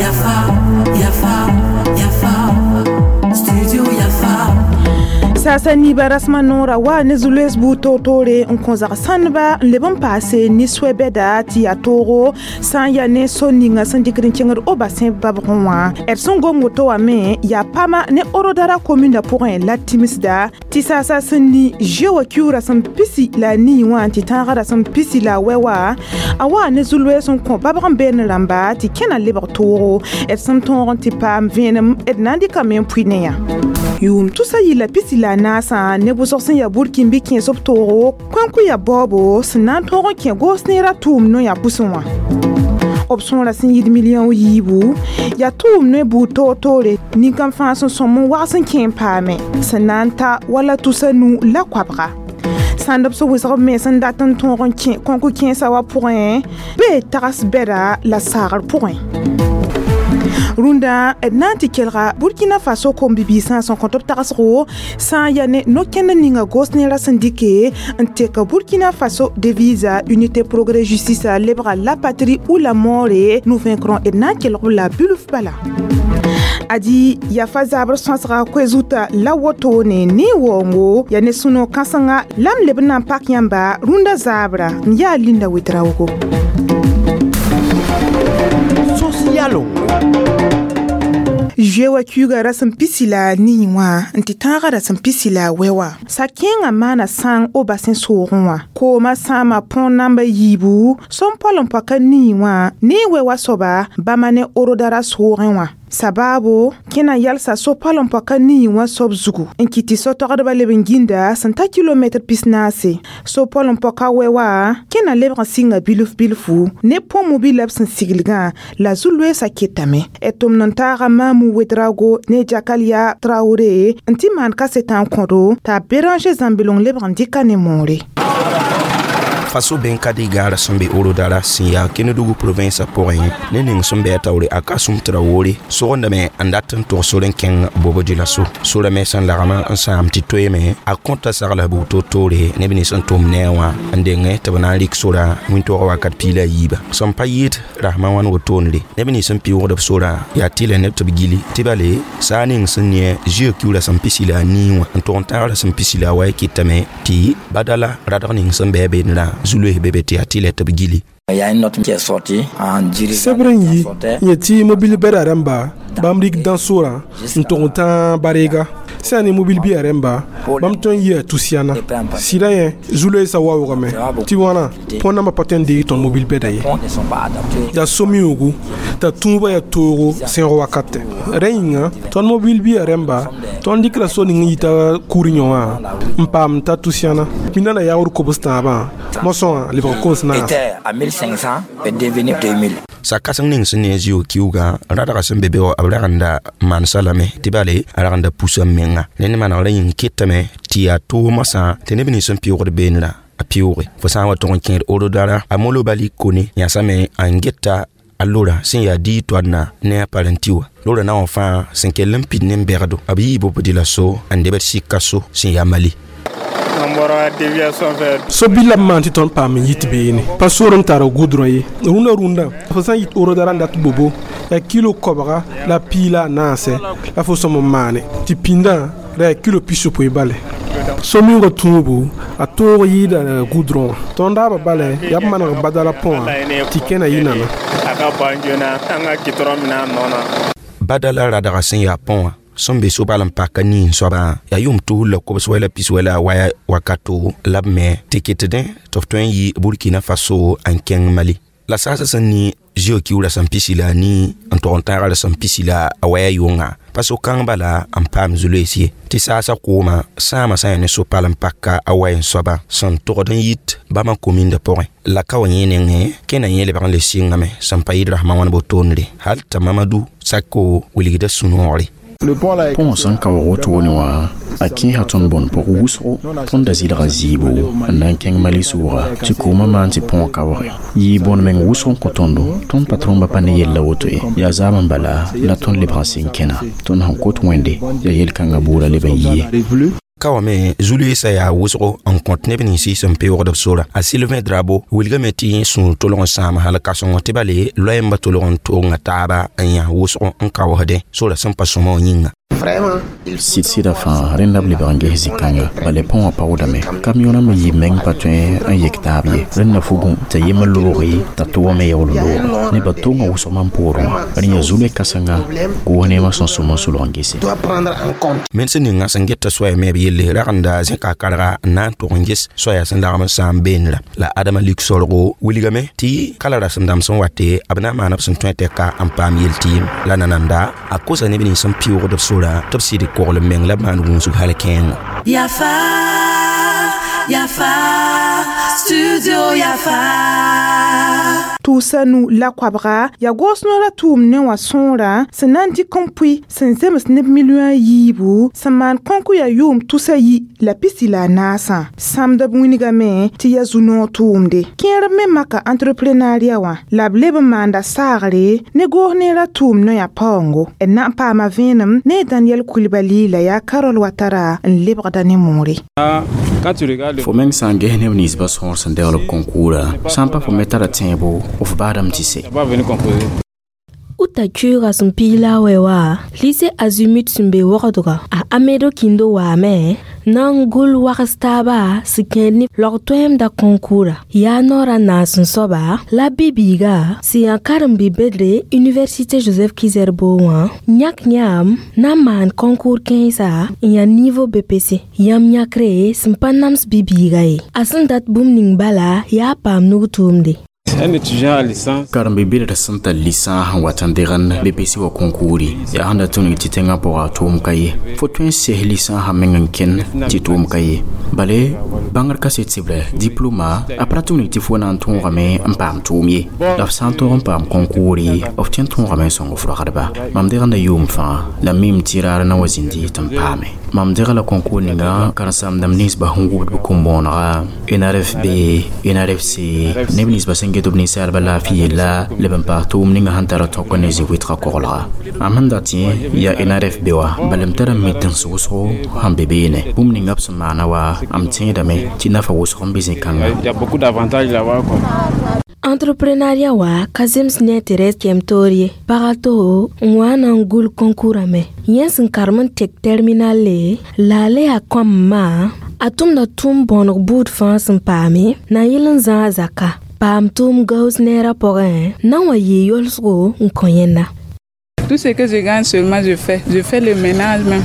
Yafa, Yafa, Yafa, Studio Yafa. Saasa niiba rasmã noorã wa ne zu-loees buud toor-toore n kõ zag-sãndba n leb n paase ne soɛ-bɛda tɩ yaa toogo sã n yaa ne so ninga sẽn dɩkd n kẽngd Obasẽ babgẽ wã. D sẽn gom woto wã me yaa pama ne Orodara komĩndã pʋgẽ la tɩmsda tɩ saasa sẽn ni zoe wã kiuug rasem pisi la a nii wã tɩ tãagã rasem pisi la a wɛ wa a wa ne zu-loees n kõ babg n beene rãmba tɩ kẽna lebg toogo. D sẽn tõog n tɩ paam vẽenem d na n dɩkame n pʋɩ ne yã. Yʋʋm tusa yɩla pisi la a naasã ne wʋsg sẽn yaa Burkĩmbi kẽes b toogo kõn-kʋ yaa baoobo sẽn na n tõog n kẽ goos neerã tʋʋm no-yã pʋsẽ wã. B sõora sẽn yɩɩd million yiibu yaa tʋʋm ne buud toor-toore nin-kãn fãa sẽn sõm n wags n kẽ n paame sẽn na n ta wala tusa nu la koabga. Sãnd b sẽn wɩsg b mens n dat n tõog n kẽ kõn-kʋ kẽesã wã pʋgẽ bee tags bɛda la saagr pʋgẽ. Rũndã d na n tɩ kelga Burkina Faso kom-bibiisã sẽn kõt b tagsgo sã n yaa ne no-kẽnd ninga gos neerã sẽn dɩke n tek Burkina Faso devisa Unité Progrès Justice lebga la patrie ou la mort. Nous vaincrons d na n kelg b la bilf bala. Adi yafa zabr sõsga koe-zuta la wotone ne waoongo yaa ne sũ-noog kãsenga la m leb n na n pak yãmba rũndã zabra n yaa Linda Wedraogo. Sos yalongo. Zoe wã kiuugã rasem pisi la a nii wã n tɩ tãagã rasem pisi la a wɛ wã. Sa-kẽengã maana sãng Obasẽ soogẽ wã. Koomã sãama põor namba yiibu sẽn pɔl n paka nii wã ne wɛ wã soaba bãmba ne Orodara soogẽ wã. Sabaabo kẽna yalsa so-pal n paka nii wã soab zugu n kɩt tɩ so-togdbã leb n gĩnda sẽn ta kilomɛtr pisnaase. So-pal n paka wɛ wã kẽna lebg n sɩnga bilf bilfu ne põmo-bi la b sẽn siglgã la zu-loeesã ketame. D tʋmd n taaga Maamu Wedrago ne Jakalia Traoré n tɩ maan kasetã n kõdo t'a Béranger Zãmbelong lebg n dɩka ne moore. Faso bẽn ka dɩ gaara sẽn be Orodara sẽn yaa Kenedugu provinsa pʋgẽ ne ning sẽn bɩ a taoore a Kasum Traore sogendame n dat n tog sor n kẽng Bobo Dioulasso. Sora me sẽn lagma n sãam tɩ toeeme a kõta sagla buud toor-toore neb nins n tʋm ne a wã n dengẽ tɩ b na n rɩk sora wĩntoogã wakat piig la a yiiba. Sẽn pa yɩɩd rasmã wãn wotone neb nins n pɩʋʋgd b sora yaa tɩlɛ neb tɩ b gili tɩ bale saa ning sẽn ne zio kiu rasem pisi la a nii wã n tog n tãag rasem pisi la a wa kɩtame tɩ badala radg ning sẽn bɩ a beene zu-loees be be tɩ yaa tɩlɛ tɩ b gili. Il y a une note qui est sortie en dirigeant Sɛbr n yi n yet tɩ mobil bɛda rãmba bãmb rɩk dã-sorã n tog n tã bareega sã yaa ne mobil bɩa rẽmba bãmb tõe n yɩa tusiana sɩda yẽ zu-loeesã waoogame tɩ wãna põn nambã pa tõe n deeg tõnd mobil bɛda ye. Ne sont pas adaptés. Yaa so-mioogo t'a tũubã yaa toogo sẽog wakatɛ. Rẽ yĩnga tõnd mobil bɩa rẽmba tõnd dɩkra so ning n yita kur yõ wã n paam n ta tusiana pĩndã la yaood kobs tãabã mosã wã lebg kos naas. Était à 1500 est devenu 2000. Sa-kãseng ning sẽn ne a zio kiuugã rãdga sẽn be be wã b ragenda maansa lame tɩ bale a ragenda pusa n menga rẽnd manegrã yĩng ketame tɩ yaa toog masã tɩ neb nins sẽn pɩʋʋgd beenrã a pɩʋʋge fo sã n wa tog n kẽed Orodara a Molobali Kone yãsame n geta a lora sẽn yaa dii toadna ne a paranti wã lora na wã fãa sẽn kell n pid ne n bɛgdo b yii Bobo Dioulasso n debd sɩka so sẽn yaa Mali. An bɔra déviation fɛ. So bɩ la b maan tɩ tõnd paam n yit beene pa sor n tar goudron ye. Rũndã rũndã fo sã n yit Orodara n dat Bobo yaa kilo koabga la piig la a naasɛ la fo sõm n maane tɩ pĩndã ra yaa kilo pisopoe bale. So-miongã tũubu a toog yɩɩda goudron wã tõnd daabã bala yaa b maneg badala põ wã tɩ kẽna yɩ nana. A ka ban joona an ka gitɔrɔn minɛ a nɔ na. Badala radga sẽn yaa põ wã sẽn be sobal n paka nii n soabã yaa yʋʋm tus la kobs wɛ la pis wɛ la a waya wakato la b me tɩ kɩtdẽ tɩ f tõe n yɩ Burkina Faso n kẽng Mali la saasã sẽn ni zio kiu rasem pisi la a nii n tog n tãaga rasem pisi la a waya yʋnga pa so-kãng bala n paam zu-loees ye tɩ saasã koomã sãama sã n yaa ne so-pal n paka a way n soaba sẽn togd n yit bãmba komĩndã pʋgẽ la ka wa yẽ nengẽ kẽna yẽ lebg n le sɩngame sẽn pa yɩɩd rasmã wãn botoonre hal t'a Mamadu Sako wilgda sũ-noogre. Põ sẽn kaoog wotone wã a kẽesa tõnd bõn pʋg wʋsgo. Tõnd da zɩlga zɩɩbo n na n kẽng Mali sʋʋga tɩ koomã maan tɩ põ kaooge yɩɩ bõn meng wʋsg n kõ tõndo. Tõnd patrõmbã pa ne yella woto ye yaa zaam n bala la tõnd lebg n sɩng kẽna. Tõnd sẽn kot Wẽnde yaa yel-kãngã buudã leb n yɩ ye. Ka wa me zu-loeesã yaa wʋsgo n kõt neb ninsɩ sẽn peoogd b sora. A Sylvain Drabo wilgame tɩ sũur tolg n sãam hal kãseng tɩ bale loɛɛmbã tolg n toonga taaba n yã wʋsg n kaoosdẽ sora sẽn pa sõma wã yĩnga. Sɩd-sɩda fãa rẽnda b lebg n ges zĩ-kãnga bala põ wã paoodame. Kamiõnã me yib meng pa tõe n yek taab ye. Rẽnda fugẽ t'a yembr lobge t'a to wame yaool looge. Nebã tonga wʋsg mam poorẽ wã. Rẽ yaa zu-loe-kãsenga goos neemã sẽn sõm n solg n gese. Mens ninga sẽn get t'a soaya me b yelle ragenda zẽka karga n na n tog n ges soaya sẽn lagm n sãam beenra. La Adama lik sorgo wilgame tɩ kala rasem dãmb sẽn wate b na n maana b sẽn tõe tɛka n paam yel-tɩɩm. La nananda a kosa neb nins sẽn pɩʋʋgd b sora tɩ b sɩd koglem meng la b maan gũusg hal kẽengo. Yafa, Yafa, Studio Yafa. Tʋʋsa nu la koabga yaa goos noorã tʋʋm ne wã sõora sẽn na n dɩk n pʋɩ sẽn zems neb milliõ a yiibu sẽn maan kõnk yaa yʋʋm 314. Sãmd b wĩnigame tɩ yaa zu-noog tʋʋmde. Kẽerb me maka entreprenariat wã la b leb n maanda saagre ne goos neerã tʋʋm noyã paoongo. D na n paama vẽenem ne Daniel Coulibaly la yaa Carole Ouattara n lebgda ne moore. Fo meng sã n ges neb ninsbã sõor sẽn degl b konkuurã, sã n pa fo me tara tẽebo, f baadame tɩ se. Uta kyuuga sẽn piig la a wɛ wa lycée Azimut sẽn be wogdga a Amedo Kindo waame na n gʋl wags taaba sẽn kẽed ne log-toɛɛmda konkuura. Yaa noorã naas n soaba la bi-biiga sẽn yaa karen-bi-bedre Université Joseph Ki-Zerbo wã yãk yãmb na n maan concours kẽensa n yaa niveau BPC. Yãmb yãkre sẽn pa nams bi-biiga ye. A sẽn dat bũmb ning bala yaa paam nug tʋʋmde. Un étudiant à licence. Karen-bi-bedr sẽn tar licence n wat n degend BPC wa konkuuri yaa sẽn da tũnug tɩ tẽngã pʋga tʋʋm ka ye. Fo tõe n ses licence meng n kẽnd tɩ tʋʋm ka ye. Bale bãngr kaset sɩbrɛ diploma a pa ra tũnug tɩ fo na n tõogame n paam tʋʋm ye. La f sã n tõog n paam konkuuri f tõe n tõogame n sõng f ragdba. Mam degenda yʋʋm fãa la m mim tɩ raar na wa zĩndi tɩ n paame. Mam dega la konkuur ninga karen-saamdãmb ninsbã sẽn wʋbd b kom-bõonega NRFB, NRFC, neb ninsbã sẽn get b ninsaalbã laafɩ yella la b n paas tʋʋm ninga sẽn tara tõk ne zĩ-wɩtgã koglga. Mam sẽn dat yẽ yaa NRFB wã bala m tara n mi tẽns wʋsgo sẽn be beene. Bũmb ninga b sẽn maana wa m tẽedame tɩ nafa wʋsg n be zĩ-kãnga. Il y a beaucoup d'avantages là-bas, quoi. Entrepreneuriat wa ka zems ne Therese Kemtoor ye. Pag to n wa na n gʋl konkuurã me. Yẽ sẽn karem n tek terminal le la a le yaa kõamma a tʋmda tʋʋm bõoneg buud fãa sẽn paame na n yɩl n zãag zaka. Paam tʋʋm gaoos neerã pʋgẽ na n wa yɩɩ yolsgo n kõ yẽnda. Tout ce que je gagne seulement, je fais. Je fais le ménage même.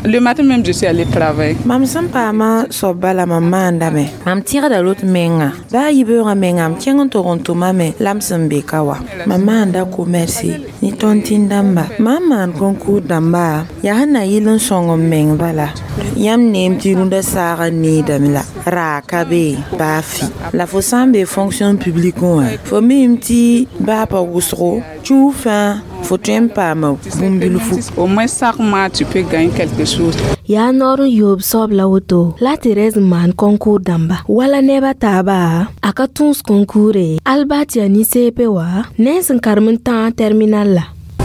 Le matin même, je suis allée travailler. Mam sẽn paama soab bala mam maandame. Mam tẽgda lot menga. Baa yibeoogã menga m kẽng n tog n tʋmame la m sẽn be ka wa. Mam maanda commerce ne tontine dãmba. Mam maan concours dãmba yaa sẽn na yɩl n sõng m meng bala. Yãmb neem tɩ rũndã saagã needame la raa ka be baa fɩ. La fo sã n be fonction publique wã fo miime tɩ baa pa wʋsgo kiuug fãa fo tõe n paama bũmb-bilfu. Au moins chaque mois, tu peux gagner quelque chose. Yaa noor n yoob soab la woto la Therese n maan concours dãmba wala neb a taaba a ka tũus concours al baa tɩ yaa nin-seepẽ wa ne sẽn karem n tãag terminal la.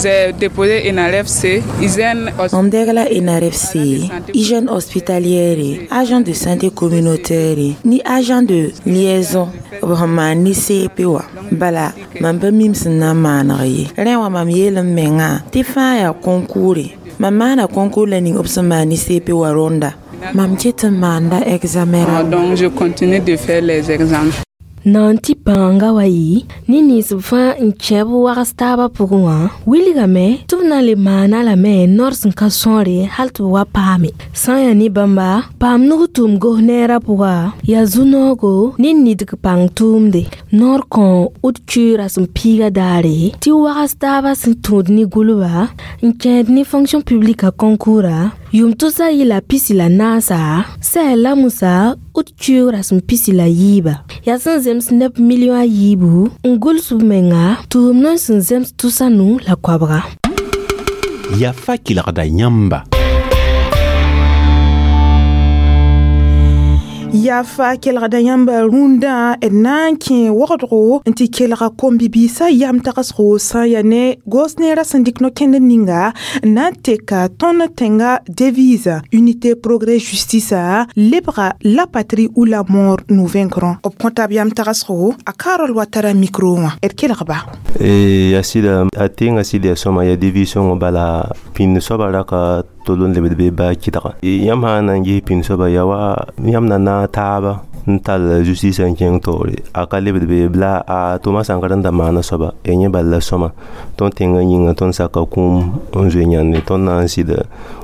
J'ai déposé NRFC, hygiène. Mam deg la NRFC, hygiène hospitalière, agent de santé communautaire, ni agent de liaison b sẽn maan ne CP wã. Bala mam pa mim sẽn na n maaneg ye. Rẽ wã mam yeel m mengã tɩ fãa yaa concours. Mam maana concours la ning b sẽn maan ne CP wã rõnda. Mam ket n maanda examen rãmba. Donc je continue de faire les examens. Na n tɩ pãanga wa yɩ ne nins fãa n kẽb wags taabã pʋgẽ wã wilgame tɩ b na n le maana lame noor sẽn ka sõore hal tɩ b wa paame. Sã n yaa ne bãmba paam nug tʋʋm gos neerã pʋga yaa zu-noogo ne nidg pãng tʋʋmde. Noor kõ ud kuiirã sẽn piiga daare tɩ wags taabã sẽn tũud ne gʋlba n kẽed ne fonction publique a konkuurã yʋʋm 314 sɛ la musa ud kuiirã sẽn 64 yaa sẽn zems neb milliõ a yiibu n gʋls b menga tʋʋm n sẽn zems 920. Yafa kelgda yãmba. Yafa kelgda yãmba rũndã d na n kẽ wagdgo n tɩ kelga kom-bibiisã yam tagsgo sã n yaa ne goos neerã sẽn dɩk no-kẽnd ninga n na n teka tõnd tẽnga devise unité, progrès, justice lebga la patrie ou la mort, nous vaincrons. B kõta b yam tagsgo a Karol Watara micro wã d kelgba. Ya sɩda a teenga sɩd ya sõma ya devise wã bala pĩnd soaba raka tol n lebd be baa kɩdga yãmb sã n na n ges pĩnd soaba ya wa yãmb na naag taaba n tall justice n kẽng taoore a ka lebd be la a tʋma sãnkr n da maana soaba ya yẽ bal la sõma tõnd tẽngã yĩnga tõnd saka kũum n zoe yãnde tõnd na n sɩd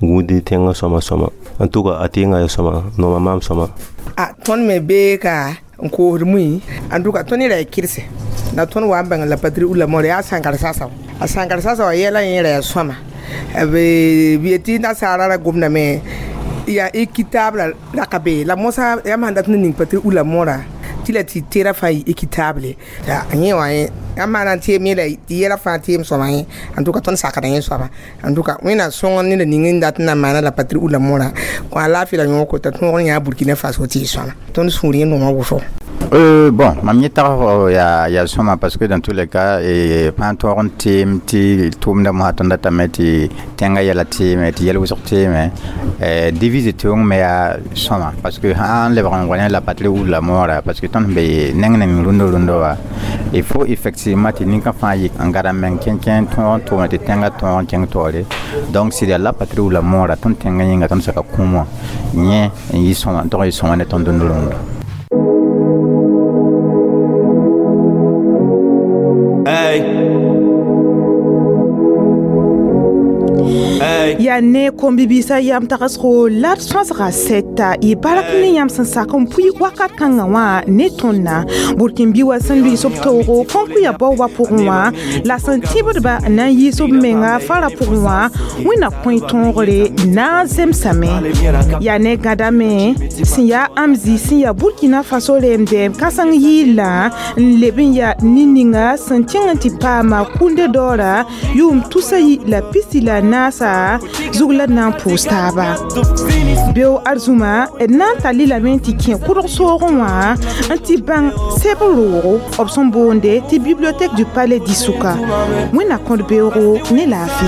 gũud tẽngã sõma sõma en tout cas a teenga ya sõma nooma maam sõma. A tõnd me bee ka n koosd mui en tout cas tõnd ra ya kɩrse la tõnd wa n bãng la patrie ou la mort yaa sãnkar sasa a sãnkar sasa wa yɛla yẽ ra ya sõma b yetɩ nasaara ra gomdame yaa équitable la ka be la mosã yãmb sãn dat n ning patrie ou la mort tɩ la tɩ tera fãa yɩ équitable yẽ wã yãmb maana n teem yẽ la tɩ yɛla fãa teem sõma yẽ en tout cas tõnd sakda yẽ soaba en tout cas wẽnnaam sõng ned ning n dat n na maana la patrie ou la mort kõ a laafɩ la yõog kota tõog n yãa Burkina Faso tɩ y sõma tõnd sũur yẽ noomã wʋsgo. Bon, mam yẽ tag ya sõma parce que dans tous les cas fãa tõog n teem tɩ tʋʋmda mosã tõnd datame tɩ tẽngã yɛla teeme tɩ yɛl wʋsg teeme devise teoong me yaa sõma parce que sãn lebg n wa ne la patrie ou la mort parce que tõnd sẽn be neng neng rũndã rũndã wa il faut effectivement tɩ ninka fãa yik n gada meng kẽnkẽ tõog n tʋʋme tɩ tẽngã tõog n kẽng taoore donc sɩd yaa la patrie ou la mort tõnd tẽngã yĩnga tõnd saka kũum wã yẽ n yɩ sõma n tog n yɩ sõma ne tõnd rũndã rũndã. Hey. Yaa ne kom-bibiisã yam tagsgo la d sõsga sɛta y bark ne yãmb sẽn sak n pʋɩ wakat kãngã wã ne tõndã burkĩn-bi wa sẽn lʋɩs b taoogo kõnkuya baoobã pʋgẽ wã la sẽn tẽbdba n na n yiis b menga fara pʋgẽ wã wẽnna kõe tõogre na n zemsame yaa ne gãdame sẽn yaa amzi sẽn yaa Burkina Faso remdɛm kãseng yɩɩlã n leb n yaa nin-ninga sẽn kẽng n tɩ paama kũnde daoora yʋʋm tusa yi la pisi la naasa zug la d na n pʋʋs taaba beo arzũma d na n tall lame n tɩ kẽ kʋdg soogẽ wã n tɩ bãng sɛb roogo b sẽn boonde tɩ bibliothèque du palais d'Issoka wẽnna kõt beoogo ne laafɩ.